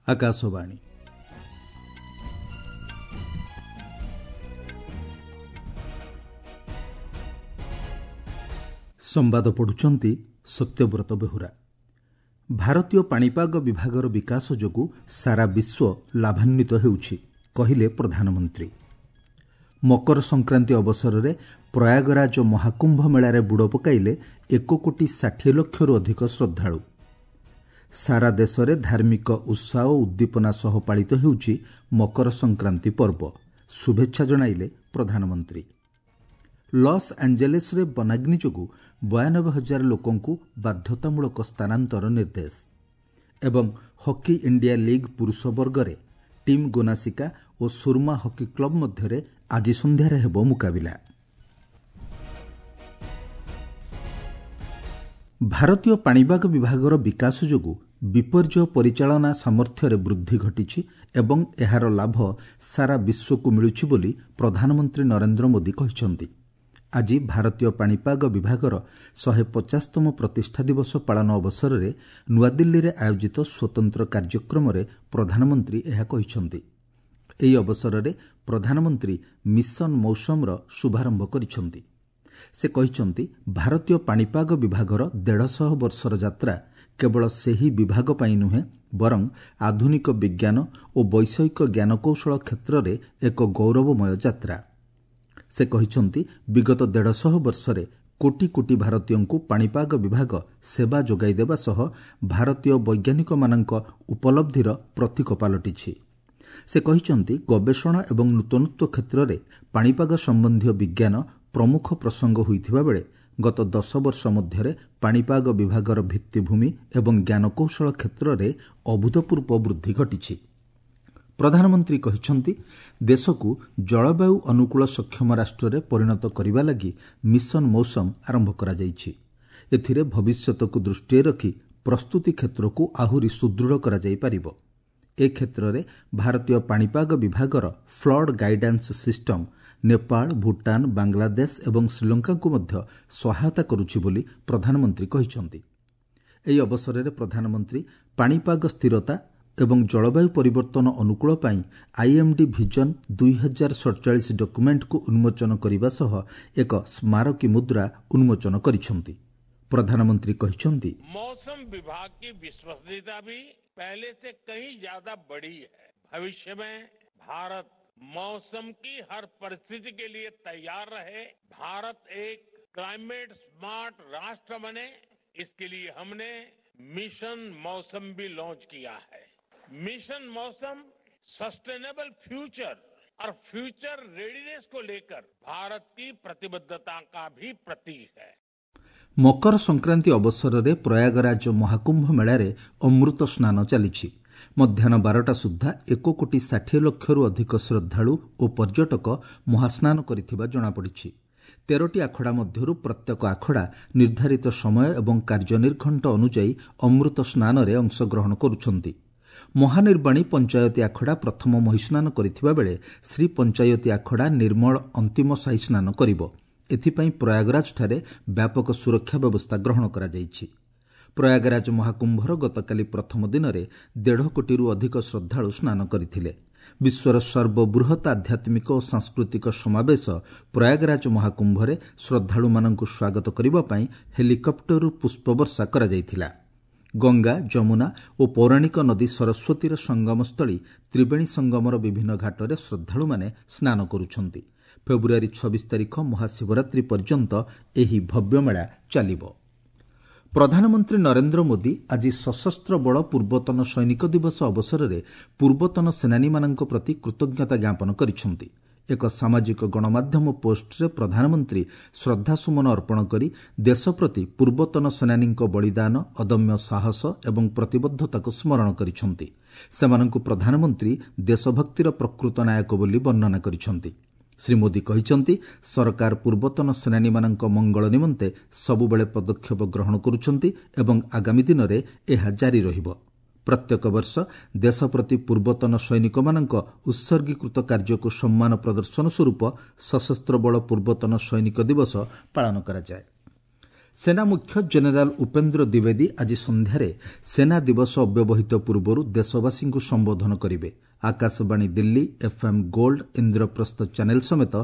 ଆକାଶବାଣୀ। ସମ୍ବାଦ ପଢ଼ୁଛନ୍ତି ସତ୍ୟବ୍ରତ ବେହୁରା। ଭାରତୀୟ ପାଣିପାଗ ବିଭାଗର ବିକାଶ ଯୋଗୁଁ ସାରା ବିଶ୍ୱ ଲାଭାନ୍ୱିତ ହେଉଛି, କହିଲେ ପ୍ରଧାନମନ୍ତ୍ରୀ। ମକର ସଂକ୍ରାନ୍ତି ଅବସରରେ ପ୍ରୟାଗରାଜ ମହାକୁମ୍ଭ ମେଳାରେ ବୁଡ଼ ପକାଇଲେ 1 କୋଟି 60 ଲକ୍ଷରୁ ଅଧିକ ଶ୍ରଦ୍ଧାଳୁ। ସାରା ଦେଶରେ ଧାର୍ମିକ ଉତ୍ସାହ ଓ ଉଦ୍ଦୀପନା ସହ ପାଳିତ ହେଉଛି ମକର ସଂକ୍ରାନ୍ତି ପର୍ବ, ଶୁଭେଚ୍ଛା ଜଣାଇଲେ ପ୍ରଧାନମନ୍ତ୍ରୀ। ଲସ୍ ଆଞ୍ଜେଲେସ୍ରେ ବନାଗ୍ନି ଯୋଗୁଁ 92 ହଜାର ଲୋକଙ୍କୁ ବାଧ୍ୟତାମୂଳକ ସ୍ଥାନାନ୍ତର ନିର୍ଦ୍ଦେଶ। ଏବଂ ହକି ଇଣ୍ଡିଆ ଲିଗ୍ ପୁରୁଷ ବର୍ଗରେ ଟିମ୍ ଗୋନାସିକା ଓ ସୁରମା ହକି କ୍ଲବ ମଧ୍ୟରେ ଆଜି ସନ୍ଧ୍ୟାରେ ହେବ ମୁକାବିଲା। ଭାରତୀୟ ପାଣିପାଗ ବିଭାଗର ବିକାଶ ଯୋଗୁଁ ବିପର୍ଯ୍ୟୟ ପରିଚାଳନା ସାମର୍ଥ୍ୟରେ ବୃଦ୍ଧି ଘଟିଛି ଏବଂ ଏହାର ଲାଭ ସାରା ବିଶ୍ୱକୁ ମିଳୁଛି ବୋଲି ପ୍ରଧାନମନ୍ତ୍ରୀ ନରେନ୍ଦ୍ର ମୋଦି କହିଛନ୍ତି। ଆଜି ଭାରତୀୟ ପାଣିପାଗ ବିଭାଗର 150ତମ ପ୍ରତିଷ୍ଠା ଦିବସ ପାଳନ ଅବସରରେ ନୂଆଦିଲ୍ଲୀରେ ଆୟୋଜିତ ସ୍ୱତନ୍ତ୍ର କାର୍ଯ୍ୟକ୍ରମରେ ପ୍ରଧାନମନ୍ତ୍ରୀ ଏହା କହିଛନ୍ତି। ଏହି ଅବସରରେ ପ୍ରଧାନମନ୍ତ୍ରୀ ମିଶନ ମୌସମର ଶୁଭାରମ୍ଭ କରିଛନ୍ତି। ସେ କହିଛନ୍ତି, ଭାରତୀୟ ପାଣିପାଗ ବିଭାଗର 150 ବର୍ଷର ଯାତ୍ରା କେବଳ ସେହି ବିଭାଗ ପାଇଁ ନୁହେଁ, ବରଂ ଆଧୁନିକ ବିଜ୍ଞାନ ଓ ବୈଷୟିକ ଜ୍ଞାନକୌଶଳ କ୍ଷେତ୍ରରେ ଏକ ଗୌରବମୟ ଯାତ୍ରା। ସେ କହିଛନ୍ତି, ବିଗତ 150 ବର୍ଷରେ କୋଟି କୋଟି ଭାରତୀୟଙ୍କୁ ପାଣିପାଗ ବିଭାଗ ସେବା ଯୋଗାଇ ଦେବା ସହ ଭାରତୀୟ ବୈଜ୍ଞାନିକମାନଙ୍କ ଉପଲବ୍ଧିର ପ୍ରତୀକ ପାଲଟିଛି। ସେ କହିଛନ୍ତି, ଗବେଷଣା ଏବଂ ନୂତନତ୍ୱ କ୍ଷେତ୍ରରେ ପାଣିପାଗ ସମ୍ବନ୍ଧୀୟ ବିଜ୍ଞାନ ପ୍ରମୁଖ ପ୍ରସଙ୍ଗ ହୋଇଥିବା ବେଳେ ଗତ 10 ବର୍ଷ ମଧ୍ୟରେ ପାଣିପାଗ ବିଭାଗର ଭିତ୍ତିଭୂମି ଏବଂ ଜ୍ଞାନକୌଶଳ କ୍ଷେତ୍ରରେ ଅଭୂତପୂର୍ବ ବୃଦ୍ଧି ଘଟିଛି। ପ୍ରଧାନମନ୍ତ୍ରୀ କହିଛନ୍ତି, ଦେଶକୁ ଜଳବାୟୁ ଅନୁକୂଳ ସକ୍ଷମ ରାଷ୍ଟ୍ରରେ ପରିଣତ କରିବା ଲାଗି ମିଶନ ମୌସମ ଆରମ୍ଭ କରାଯାଇଛି। ଏଥିରେ ଭବିଷ୍ୟତକୁ ଦୃଷ୍ଟିରେ ରଖି ପ୍ରସ୍ତୁତି କ୍ଷେତ୍ରକୁ ଆହୁରି ସୁଦୃଢ଼ କରାଯାଇପାରିବ। ଏ କ୍ଷେତ୍ରରେ ଭାରତୀୟ ପାଣିପାଗ ବିଭାଗର flood guidance system Nepal, Bhutan, Bangladesh ଏବଂ ଶ୍ରୀଲଙ୍କାକୁ ମଧ୍ୟ ସହାୟତା କରୁଛି ବୋଲି ପ୍ରଧାନମନ୍ତ୍ରୀ କହିଛନ୍ତି। ଏହି ଅବସରରେ ପ୍ରଧାନମନ୍ତ୍ରୀ ପାଣିପାଗ ସ୍ଥିରତା ଏବଂ ଜଳବାୟୁ ପରିବର୍ତ୍ତନ ଅନୁକୂଳ ପାଇଁ ଆଇଏମ୍ଡି ଭିଜନ 2047 ଡକ୍ୟୁମେଣ୍ଟକୁ ଉନ୍ମୋଚନ କରିବା ସହ ଏକ ସ୍ମାରକୀ ମୁଦ୍ରା ଉନ୍ମୋଚନ କରିଛନ୍ତି। ପ୍ରଧାନମନ୍ତ୍ରୀ କହିଛନ୍ତି, मौसम विभाग की विश्वसनीयता भी पहले से कहीं ज्यादा बढ़ी है। भविष्य में भारत मौसम की हर परिस्थिति के लिए तैयार रहे, भारत एक क्लाइमेट स्मार्ट राष्ट्र बने, इसके लिए हमने मिशन मौसम भी लॉन्च किया है। मिशन मौसम सस्टेनेबल फ्यूचर और फ्यूचर रेडीनेस को लेकर भारत की प्रतिबद्धता का भी प्रतीक है। ମକର ସଂକ୍ରାନ୍ତି ଅବସରରେ ପ୍ରୟାଗରାଜ ମହାକୁମ୍ଭ ମେଳାରେ ଅମୃତ ସ୍ନାନ ଚାଲିଛି। ମଧ୍ୟାହ୍ନ 12ଟା ସୁଦ୍ଧା 1 କୋଟି 60 ଲକ୍ଷରୁ ଅଧିକ ଶ୍ରଦ୍ଧାଳୁ ଓ ପର୍ଯ୍ୟଟକ ମହାସ୍ନାନ କରିଥିବା ଜଣାପଡ଼ିଛି। 13ଟି ଆଖଡ଼ା ମଧ୍ୟରୁ ପ୍ରତ୍ୟେକ ଆଖଡ଼ା ନିର୍ଦ୍ଧାରିତ ସମୟ ଏବଂ କାର୍ଯ୍ୟନିର୍ଘଣ୍ଟ ଅନୁଯାୟୀ ଅମୃତ ସ୍ନାନରେ ଅଂଶଗ୍ରହଣ କରୁଛନ୍ତି। ମହାନିର୍ବାଣୀ ପଞ୍ଚାୟତି ଆଖଡ଼ା ପ୍ରଥମ ମହିସ୍ନାନ କରିଥିବା ବେଳେ ଶ୍ରୀ ପଞ୍ଚାୟତି ଆଖଡ଼ା ନିର୍ମଳ ଅନ୍ତିମ ସାହି ସ୍ନାନ କରିବ। ଏଥିପାଇଁ ପ୍ରୟାଗରାଜଠାରେ ବ୍ୟାପକ ସୁରକ୍ଷା ବ୍ୟବସ୍ଥା ଗ୍ରହଣ କରାଯାଇଛି। ପ୍ରୟାଗରାଜ ମହାକୁମ୍ଭର ଗତକାଲି ପ୍ରଥମ ଦିନରେ 1.5 କୋଟିରୁ ଅଧିକ ଶ୍ରଦ୍ଧାଳୁ ସ୍ନାନ କରିଥିଲେ। ବିଶ୍ୱର ସର୍ବବୃହତ୍ ଆଧ୍ୟାତ୍ମିକ ଓ ସାଂସ୍କୃତିକ ସମାବେଶ ପ୍ରୟାଗରାଜ ମହାକୁମ୍ଭରେ ଶ୍ରଦ୍ଧାଳୁମାନଙ୍କୁ ସ୍ୱାଗତ କରିବା ପାଇଁ ହେଲିକପ୍ଟରରୁ ପୁଷ୍ପବର୍ଷା କରାଯାଇଥିଲା। ଗଙ୍ଗା, ଯମୁନା ଓ ପୌରାଣିକ ନଦୀ ସରସ୍ୱତୀର ସଙ୍ଗମସ୍ଥଳୀ ତ୍ରିବେଣୀ ସଙ୍ଗମର ବିଭିନ୍ନ ଘାଟରେ ଶ୍ରଦ୍ଧାଳୁମାନେ ସ୍ନାନ କରୁଛନ୍ତି। ଫେବୃଆରୀ 26 ତାରିଖ ମହାଶିବରାତ୍ରି ପର୍ଯ୍ୟନ୍ତ ଏହି ଭବ୍ୟ ମେଳା ଚାଲିବ। ପ୍ରଧାନମନ୍ତ୍ରୀ ନରେନ୍ଦ୍ର ମୋଦି ଆଜି ସଶସ୍ତ୍ର ବଳ ପୂର୍ବତନ ସୈନିକ ଦିବସ ଅବସରରେ ପୂର୍ବତନ ସେନାନୀମାନଙ୍କ ପ୍ରତି କୃତଜ୍ଞତା ଜ୍ଞାପନ କରିଛନ୍ତି। ଏକ ସାମାଜିକ ଗଣମାଧ୍ୟମ ପୋଷ୍ଟରେ ପ୍ରଧାନମନ୍ତ୍ରୀ ଶ୍ରଦ୍ଧାସୁମନ ଅର୍ପଣ କରି ଦେଶ ପ୍ରତି ପୂର୍ବତନ ସେନାନୀଙ୍କ ବଳିଦାନ, ଅଦମ୍ୟ ସାହସ ଏବଂ ପ୍ରତିବଦ୍ଧତାକୁ ସ୍ମରଣ କରିଛନ୍ତି। ସେମାନଙ୍କୁ ପ୍ରଧାନମନ୍ତ୍ରୀ ଦେଶଭକ୍ତିର ପ୍ରକୃତ ନାୟକ ବୋଲି ବର୍ଣ୍ଣନା କରିଛନ୍ତି। ଶ୍ରୀ ମୋଦି କହିଛନ୍ତି, ସରକାର ପୂର୍ବତନ ସେନାନୀମାନଙ୍କ ମଙ୍ଗଳ ନିମନ୍ତେ ସବୁବେଳେ ପଦକ୍ଷେପ ଗ୍ରହଣ କରୁଛନ୍ତି ଏବଂ ଆଗାମୀ ଦିନରେ ଏହା ଜାରି ରହିବ। ପ୍ରତ୍ୟେକ ବର୍ଷ ଦେଶ ପ୍ରତି ପୂର୍ବତନ ସୈନିକମାନଙ୍କ ଉତ୍ସର୍ଗୀକୃତ କାର୍ଯ୍ୟକୁ ସମ୍ମାନ ପ୍ରଦର୍ଶନ ସ୍ୱରୂପ ସଶସ୍ତ୍ର ବଳ ପୂର୍ବତନ ସୈନିକ ଦିବସ ପାଳନ କରାଯାଏ। ସେନା ମୁଖ୍ୟ ଜେନେରାଲ ଉପେନ୍ଦ୍ର ଦ୍ୱିବେଦୀ ଆଜି ସନ୍ଧ୍ୟାରେ ସେନା ଦିବସ ଅବ୍ୟବହିତ ପୂର୍ବରୁ ଦେଶବାସୀଙ୍କୁ ସମ୍ବୋଧନ କରିବେ। Akashvani Delhi, FM Gold, Indraprastha channel ସମେତ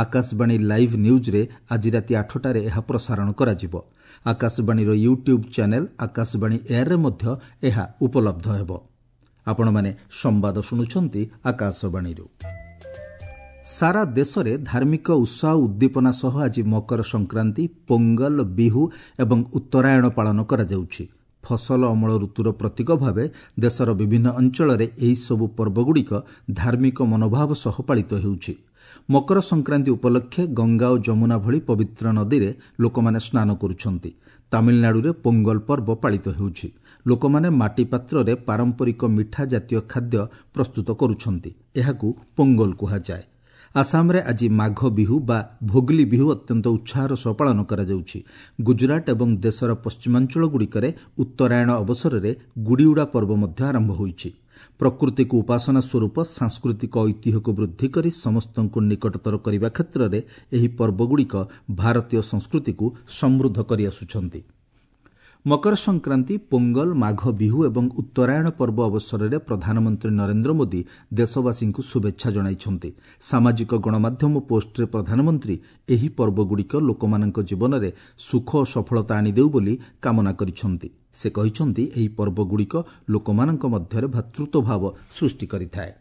ଆକାଶବାଣୀ ଲାଇଭ୍ ନ୍ୟୁଜ୍ରେ ଆଜି ରାତି 8ଟାରେ ଏହା ପ୍ରସାରଣ କରାଯିବ। ଆକାଶବାଣୀର ୟୁଟ୍ୟୁବ୍ ଚ୍ୟାନେଲ୍ ଆକାଶବାଣୀ ଏୟାର୍ରେ ମଧ୍ୟ ଏହା ଉପଲବ୍ଧ ହେବ। ଆପଣମାନେ ସମ୍ବାଦ ଶୁଣୁଛନ୍ତି ଆକାଶବାଣୀରୁ। ସାରା ଦେଶରେ ଧାର୍ମିକ ଉତ୍ସାହ ଉଦ୍ଦୀପନା ସହ ଆଜି ମକର ସଂକ୍ରାନ୍ତି, ପୋଙ୍ଗଲ, ବିହୁ ଏବଂ ଉତ୍ତରାୟଣ ପାଳନ କରାଯାଉଛି। ଫସଲ ଅମଳ ଋତୁର ପ୍ରତୀକ ଭାବେ ଦେଶର ବିଭିନ୍ନ ଅଞ୍ଚଳରେ ଏହିସବୁ ପର୍ବଗୁଡ଼ିକ ଧାର୍ମିକ ମନୋଭାବ ସହ ପାଳିତ ହେଉଛି। ମକର ସଂକ୍ରାନ୍ତି ଉପଲକ୍ଷେ ଗଙ୍ଗା ଓ ଯମୁନା ଭଳି ପବିତ୍ର ନଦୀରେ ଲୋକମାନେ ସ୍ନାନ କରୁଛନ୍ତି। ତାମିଲନାଡୁରେ ପୋଙ୍ଗଲ ପର୍ବ ପାଳିତ ହେଉଛି। ଲୋକମାନେ ମାଟି ପାତ୍ରରେ ପାରମ୍ପରିକ ମିଠା ଜାତୀୟ ଖାଦ୍ୟ ପ୍ରସ୍ତୁତ କରୁଛନ୍ତି। ଏହାକୁ ପୋଙ୍ଗଲ କୁହାଯାଏ। ଆସାମରେ ଆଜି ମାଘ ବିହୁ ବା ଭୋଗଲି ବିହୁ ଅତ୍ୟନ୍ତ ଉତ୍ସାହର ସହ ପାଳନ କରାଯାଉଛି। ଗୁଜରାଟ ଏବଂ ଦେଶର ପଶ୍ଚିମାଞ୍ଚଳଗୁଡ଼ିକରେ ଉତ୍ତରାୟଣ ଅବସରରେ ଗୁଡ଼ିଉଡ଼ା ପର୍ବ ମଧ୍ୟ ଆରମ୍ଭ ହୋଇଛି। ପ୍ରକୃତିକୁ ଉପାସନା ସ୍ୱରୂପ ସାଂସ୍କୃତିକ ଐତିହ୍ୟକୁ ବୃଦ୍ଧି କରି ସମସ୍ତଙ୍କୁ ନିକଟତର କରିବା କ୍ଷେତ୍ରରେ ଏହି ପର୍ବଗୁଡ଼ିକ ଭାରତୀୟ ସଂସ୍କୃତିକୁ ସମୃଦ୍ଧ କରିଆସୁଛନ୍ତି। ମକର ସଂକ୍ରାନ୍ତି, ପୋଙ୍ଗଲ, ମାଘ ବିହୁ ଏବଂ ଉତ୍ତରାୟଣ ପର୍ବ ଅବସରରେ ପ୍ରଧାନମନ୍ତ୍ରୀ ନରେନ୍ଦ୍ର ମୋଦି ଦେଶବାସୀଙ୍କୁ ଶୁଭେଚ୍ଛା ଜଣାଇଛନ୍ତି। ସାମାଜିକ ଗଣମାଧ୍ୟମ ପୋଷ୍ଟରେ ପ୍ରଧାନମନ୍ତ୍ରୀ ଏହି ପର୍ବଗୁଡ଼ିକ ଲୋକମାନଙ୍କ ଜୀବନରେ ସୁଖ ଓ ସଫଳତା ଆଣିଦେଉ ବୋଲି କାମନା କରିଛନ୍ତି। ସେ କହିଛନ୍ତି, ଏହି ପର୍ବଗୁଡ଼ିକ ଲୋକମାନଙ୍କ ମଧ୍ୟରେ ଭ୍ରାତୃତ୍ୱଭାବ ସୃଷ୍ଟି କରିଥାଏ।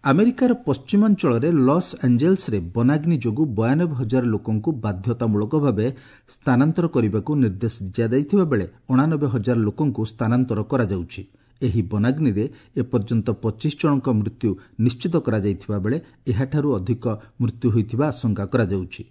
ଆମେରିକାର ପଶ୍ଚିମାଞ୍ଚଳରେ ଲସ୍ ଆଞ୍ଜେଲ୍ସରେ ବନାଗ୍ନି ଯୋଗୁଁ 92,000 ଲୋକଙ୍କୁ ବାଧ୍ୟତାମୂଳକ ଭାବେ ସ୍ଥାନାନ୍ତର କରିବାକୁ ନିର୍ଦ୍ଦେଶ ଦିଆଯାଇଥିବା ବେଳେ 89,000 ଲୋକଙ୍କୁ ସ୍ଥାନାନ୍ତର କରାଯାଉଛି। ଏହି ବନାଗ୍ନିରେ ଏପର୍ଯ୍ୟନ୍ତ 25 ଜଣଙ୍କ ମୃତ୍ୟୁ ନିଶ୍ଚିତ କରାଯାଇଥିବା ବେଳେ ଏହାଠାରୁ ଅଧିକ ମୃତ୍ୟୁ ହୋଇଥିବା ଆଶଙ୍କା କରାଯାଉଛି।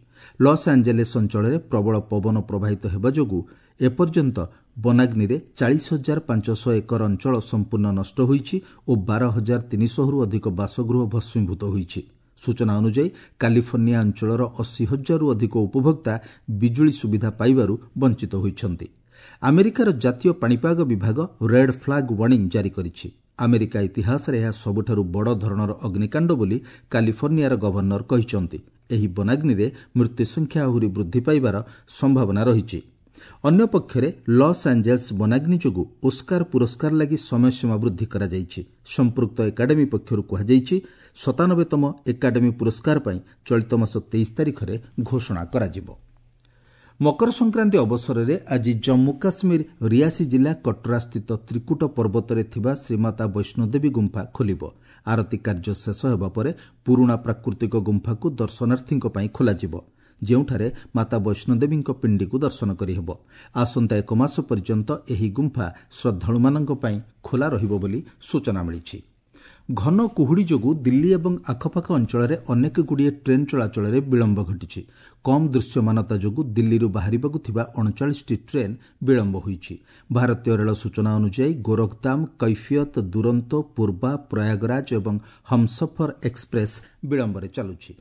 ଲସ୍ ଆଞ୍ଜେଲେସ୍ ଅଞ୍ଚଳରେ ପ୍ରବଳ ପବନ ପ୍ରବାହିତ ହେବା ଯୋଗୁଁ ଏପର୍ଯ୍ୟନ୍ତ ବନାଗ୍ନିରେ 40,500 ଏକର ଅଞ୍ଚଳ ସମ୍ପୂର୍ଣ୍ଣ ନଷ୍ଟ ହୋଇଛି ଓ 12,300ରୁ ଅଧିକ ବାସଗୃହ ଭସ୍ମୀଭୂତ ହୋଇଛି। ସୂଚନା ଅନୁଯାୟୀ କାଲିଫର୍ଣ୍ଣିଆ ଅଞ୍ଚଳର 80,000ରୁ ଅଧିକ ଉପଭୋକ୍ତା ବିଜୁଳି ସୁବିଧା ପାଇବାରୁ ବଞ୍ଚିତ ହୋଇଛନ୍ତି। ଆମେରିକାର ଜାତୀୟ ପାଣିପାଗ ବିଭାଗ ରେଡ୍ ଫ୍ଲାଗ୍ ୱାର୍ଣ୍ଣିଂ ଜାରି କରିଛି। ଆମେରିକା ଇତିହାସରେ ଏହା ସବୁଠାରୁ ବଡ଼ ଧରଣର ଅଗ୍ନିକାଣ୍ଡ ବୋଲି କାଲିଫର୍ଣ୍ଣିଆର ଗଭର୍ଣ୍ଣର କହିଛନ୍ତି। ଏହି ବନାଗ୍ନିରେ ମୃତ୍ୟୁ ସଂଖ୍ୟା ଆହୁରି ବୃଦ୍ଧି ପାଇବାର ସମ୍ଭାବନା ରହିଛି। ଅନ୍ୟପକ୍ଷରେ ଲସ୍ ଆଞ୍ଜେଲ୍ସ ବନାଗ୍ନି ଯୋଗୁଁ ଓସ୍କାର ପୁରସ୍କାର ଲାଗି ସମୟସୀମା ବୃଦ୍ଧି କରାଯାଇଛି। ସମ୍ପୃକ୍ତ ଏକାଡେମୀ ପକ୍ଷରୁ କୁହାଯାଇଛି, 97ତମ ଏକାଡେମୀ ପୁରସ୍କାର ପାଇଁ ଚଳିତ ମାସ 23 ତାରିଖରେ ଘୋଷଣା କରାଯିବ। ମକର ସଂକ୍ରାନ୍ତି ଅବସରରେ ଆଜି ଜମ୍ମୁ କାଶ୍ମୀର ରିଆସି ଜିଲ୍ଲା କଟ୍ରାସ୍ଥିତ ତ୍ରିକୁଟ ପର୍ବତରେ ଥିବା ଶ୍ରୀମାତା ବୈଷ୍ଣୋଦେବୀ ଗୁମ୍ଫା ଖୋଲିବ। ଆରତୀ କାର୍ଯ୍ୟ ଶେଷ ହେବା ପରେ ପୁରୁଣା ପ୍ରାକୃତିକ ଗୁମ୍ଫାକୁ ଦର୍ଶନାର୍ଥୀଙ୍କ ପାଇଁ ଖୋଲାଯିବ, ଯେଉଁଠାରେ ମାତା ବୈଷ୍ଣୋଦେବୀଙ୍କ ପିଣ୍ଡିକୁ ଦର୍ଶନ କରିହେବ। ଆସନ୍ତା 1 ମାସ ପର୍ଯ୍ୟନ୍ତ ଏହି ଗୁମ୍ଫା ଶ୍ରଦ୍ଧାଳୁମାନଙ୍କ ପାଇଁ ଖୋଲା ରହିବ ବୋଲି ସୂଚନା ମିଳିଛି। ଘନ କୁହୁଡ଼ି ଯୋଗୁଁ ଦିଲ୍ଲୀ ଏବଂ ଆଖପାଖ ଅଞ୍ଚଳରେ ଅନେକଗୁଡ଼ିଏ ଟ୍ରେନ୍ ଚଳାଚଳରେ ବିଳମ୍ବ ଘଟିଛି। କମ୍ ଦୃଶ୍ୟମାନତା ଯୋଗୁଁ ଦିଲ୍ଲୀରୁ ବାହାରିବାକୁ ଥିବା 39ଟି ଟ୍ରେନ୍ ବିଳମ୍ବ ହୋଇଛି। ଭାରତୀୟ ରେଳ ସୂଚନା ଅନୁଯାୟୀ ଗୋରଖଧାମ, କୈଫିୟତ, ଦୁରନ୍ତ, ପୂର୍ବା, ପ୍ରୟାଗରାଜ ଏବଂ ହମ୍ସଫର ଏକ୍ସପ୍ରେସ୍ ବିଳମ୍ବରେ ଚାଲୁଛି।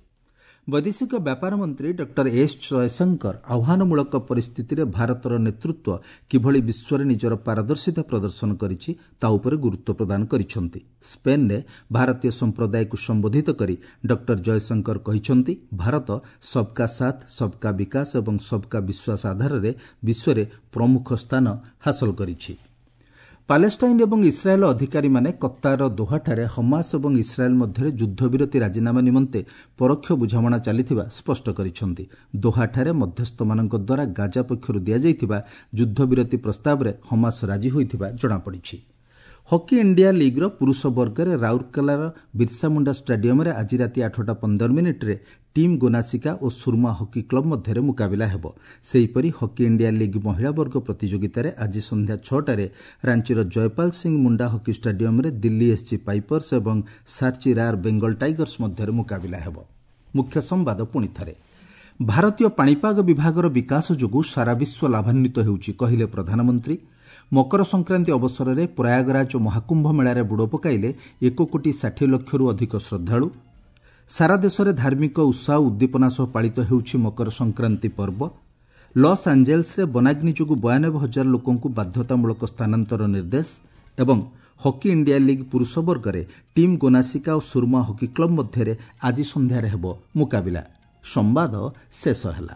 ବୈଦେଶିକ ବ୍ୟାପାର ମନ୍ତ୍ରୀ ଡକ୍ଟର ଏସ୍ ଜୟଶଙ୍କର ଆହ୍ୱାନମୂଳକ ପରିସ୍ଥିତିରେ ଭାରତର ନେତୃତ୍ୱ କିଭଳି ବିଶ୍ୱରେ ନିଜର ପାରଦର୍ଶିତା ପ୍ରଦର୍ଶନ କରିଛି ତା ଉପରେ ଗୁରୁତ୍ୱ ପ୍ରଦାନ କରିଛନ୍ତି। ସ୍ପେନ୍ରେ ଭାରତୀୟ ସମ୍ପ୍ରଦାୟକୁ ସମ୍ବୋଧିତ କରି ଡକ୍ଟର ଜୟଶଙ୍କର କହିଛନ୍ତି, ଭାରତ ସବ୍କା ସାଥ୍, ସବ୍କା ବିକାଶ ଏବଂ ସବ୍କା ବିଶ୍ୱାସ ଆଧାରରେ ବିଶ୍ୱରେ ପ୍ରମୁଖ ସ୍ଥାନ ହାସଲ କରିଛି। ପାଲେଷ୍ଟାଇନ୍ ଏବଂ ଇସ୍ରାଏଲ୍ ଅଧିକାରୀମାନେ କତ୍ତାରର ଦୋହାଠାରେ ହମାସ ଏବଂ ଇସ୍ରାଏଲ୍ ମଧ୍ୟରେ ଯୁଦ୍ଧବିରତି ରାଜିନାମା ନିମନ୍ତେ ପରୋକ୍ଷ ବୁଝାମଣା ଚାଲିଥିବା ସ୍ପଷ୍ଟ କରିଛନ୍ତି। ଦୋହାଠାରେ ମଧ୍ୟସ୍ଥମାନଙ୍କ ଦ୍ୱାରା ଗାଜା ପକ୍ଷରୁ ଦିଆଯାଇଥିବା ଯୁଦ୍ଧବିରତି ପ୍ରସ୍ତାବରେ ହମାସ ରାଜି ହୋଇଥିବା ଜଣାପଡ଼ିଛି। ହକି ଇଣ୍ଡିଆ ଲିଗ୍ର ପୁରୁଷ ବର୍ଗରେ ରାଉରକେଲାର ବିର୍ସାମୁଣ୍ଡା ଷ୍ଟାଡିୟମରେ ଆଜି ରାତି 8:15 ଟିମ୍ ଗୋନାସିକା ଓ ସୁରମା ହକି କ୍ଲବ ମଧ୍ୟରେ ମୁକାବିଲା ହେବ। ସେହିପରି ହକି ଇଣ୍ଡିଆ ଲିଗ୍ ମହିଳା ବର୍ଗ ପ୍ରତିଯୋଗିତାରେ ଆଜି ସନ୍ଧ୍ୟା 6ଟାରେ ରାଞ୍ଚିର ଜୟପାଲ ସିଂ ମୁଣ୍ଡା ହକି ଷ୍ଟାଡିୟମରେ ଦିଲ୍ଲୀ ଏସ୍ଜି ପାଇପର୍ସ ଏବଂ ସାର୍ଚି ରାର୍ ବେଙ୍ଗଲ ଟାଇଗର୍ସ ମଧ୍ୟରେ ମୁକାବିଲା ହେବ। ମୁଖ୍ୟ ସମ୍ବାଦ ପୁଣି ଥରେ। ଭାରତୀୟ ପାଣିପାଗ ବିଭାଗର ବିକାଶ ଯୋଗୁଁ ସାରା ବିଶ୍ୱ ଲାଭାନ୍ୱିତ ହେଉଛି, କହିଲେ ପ୍ରଧାନମନ୍ତ୍ରୀ। ମକର ସଂକ୍ରାନ୍ତି ଅବସରରେ ପ୍ରୟାଗରାଜ ମହାକୁମ୍ଭ ମେଳାରେ ବୁଡ଼ ପକାଇଲେ 1,60,00,000ରୁ ଅଧିକ ଶ୍ରଦ୍ଧାଳୁ। ସାରା ଦେଶରେ ଧାର୍ମିକ ଉତ୍ସାହ ଉଦ୍ଦୀପନା ସହ ପାଳିତ ହେଉଛି ମକର ସଂକ୍ରାନ୍ତି ପର୍ବ। ଲସ୍ ଆଞ୍ଜେଲ୍ସରେ ବନାଗ୍ନି ଯୋଗୁଁ 92,000 ଲୋକଙ୍କୁ ବାଧ୍ୟତାମୂଳକ ସ୍ଥାନାନ୍ତର ନିର୍ଦ୍ଦେଶ ଏବଂ ହକି ଇଣ୍ଡିଆ ଲିଗ୍ ପୁରୁଷ ବର୍ଗରେ ଟିମ୍ ଗୋନାସିକା ଓ ସୁରମା ହକି କ୍ଲବ ମଧ୍ୟରେ ଆଜି ସନ୍ଧ୍ୟାରେ ହେବ ମୁକାବିଲା। ସମ୍ବାଦ ଶେଷ ହେଲା।